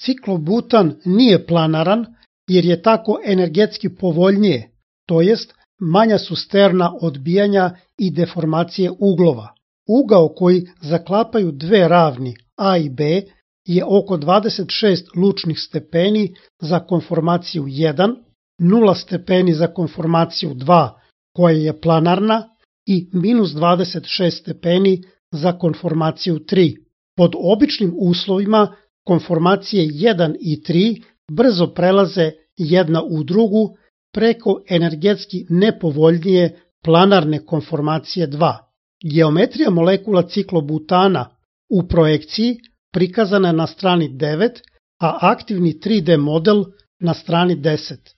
Ciklobutan nije planaran jer je tako energetski povoljnije, to jest manja su sterna odbijanja i deformacije uglova. Ugao koji zaklapaju dve ravni A i B je oko 26 lučnih stepeni za konformaciju 1, 0 stepeni za konformaciju 2 koja je planarna i minus 26 stepeni za konformaciju 3. Pod običnim uslovima konformacije 1 i 3 brzo prelaze jedna u drugu preko energetski nepovoljnije planarne konformacije 2. Geometrija molekula ciklobutana u projekciji prikazana je na strani 9, a aktivni 3D model na strani 10.